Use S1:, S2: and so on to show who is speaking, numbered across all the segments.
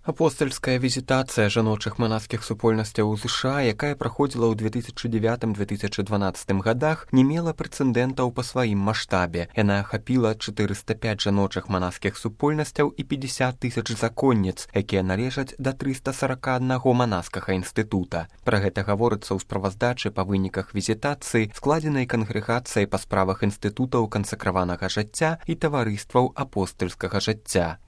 S1: Апостальская візітацыя жаночых манаскіх супольнасцяў у ЗША, якая праходзіла ў 2009-2012 годах, не мела прэцэдэнтаў па сваім маштабе. Яна ахапіла 405 жаночых манаскіх супольнасцяў і 50 тысяч законніц, якія належаць да 341 манаскага інстытута. Пра гэта гаворыцца ў справаздачы па выніках візітацыі, складзенай кангрэгацыяй па справах інстытутаў кансакраванага жыцця і таварыстваў апостальскага жыцця.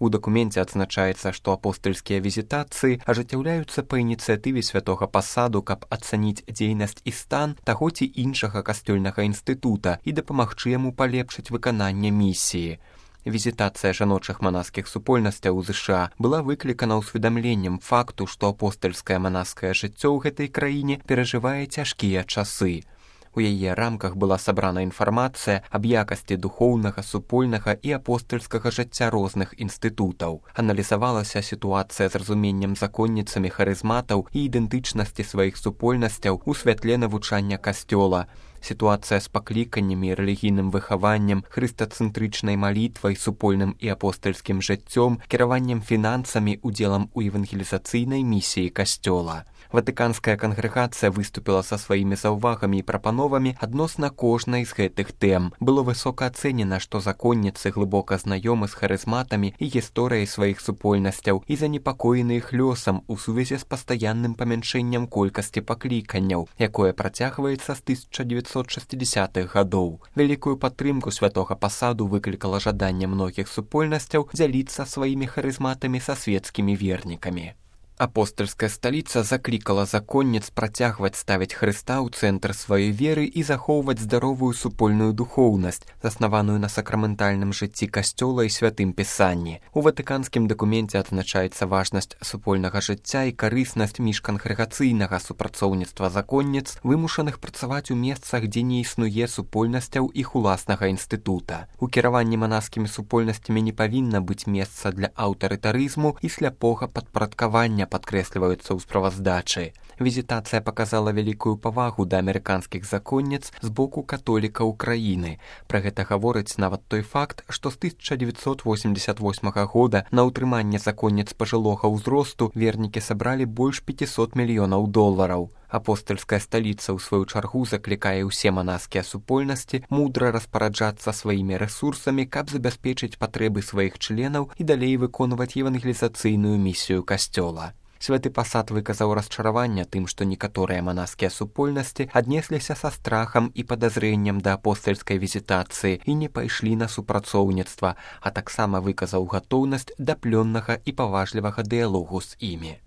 S1: У дакуменце адзначаецца, што апостальскія візітацыі ажыццяўляюцца па ініцыятыве святога пасаду, каб ацаніць дзейнасць і стан таго ці іншага касцёльнага інстытута і дапамагчы яму палепшыць выкананне місіі. Візітацыя жаночых манаскіх супольнасцяў у ЗША была выклікана ўсведамленнем факту, што апостальскае манаскае жыццё ў гэтай краіне перажывае цяжкія часы. У яе рамках была сабрана інфармацыя аб якасці духоўнага, супольнага і апостальскага жыцця розных інстытутаў. Аналізавалася сітуацыя з разуменнем законніцамі харызматаў і ідэнтычнасці сваіх супольнасцяў у святле навучання касцёла, сітуацыя з пакліканнямі, рэлігійным выхаваннем, хрыстацэнтрычнай малітвай, супольным і апостальскім жыццём, кіраваннем фінансамі, удзелам у евангелізацыйнай місіі касцёла. Ватыканская кангрэгацыя выступіла са сваімі заўвагамі і прапановамі адносна кожнай з гэтых тэм. Было высока ацэнена, што законніцы глыбока знаёмы з харызматамі і гісторыяй сваіх супольнасцяў і занепакоены іх лёсам у сувязі з пастаянным памяншэннем колькасці пакліканняў, якое працягваецца з 1960-х гадоў. Вялікую падтрымку святога пасаду выклікала жаданне многіх супольнасцяў дзяліцца сваімі харызматамі са свецкімі вернікамі. Апостальская сталіца заклікала законніц працягваць ставіць Хрыста ў цэнтр сваёй веры і захоўваць здаровую супольную духоўнасць, заснаваную на сакраментальным жыцці касцёла і святым пісанні. У ватыканскім дакуменце адзначаецца важнасць супольнага жыцця і карыснасць міжкангрэгацыйнага супрацоўніцтва законніц, вымушаных працаваць у месцах, дзе не існуе супольнасцяў іх уласнага інстытута. У кіраванні манаскімі супольнасцямі не павінна быць месца для аўтарытарызму і сляпога падпарадкавання, падкрэсліваюцца ў справаздачы. Візітацыя паказала вялікую павагу да амерыканскіх законніц з боку католікаў краіны. Пра гэта гаворыць нават той факт, што з 1988 года на ўтрыманне законніц пажылога ўзросту вернікі сабралі больш 500 мільёнаў долараў. Апостальская сталіца, ў сваю чаргу, заклікае ўсе манаскія супольнасці мудра распараджацца сваімі рэсурсамі, каб забяспечыць патрэбы сваіх членаў і далей выконваць евангелізацыйную місію касцёла. Святы пасад выказаў расчараванне тым, што некаторыя манаскія супольнасці аднесліся са страхам і падазрэннем да апостальскай візітацыі і не пайшлі на супрацоўніцтва, а таксама выказаў гатоўнасць да плённага і паважлівага дыялогу з імі.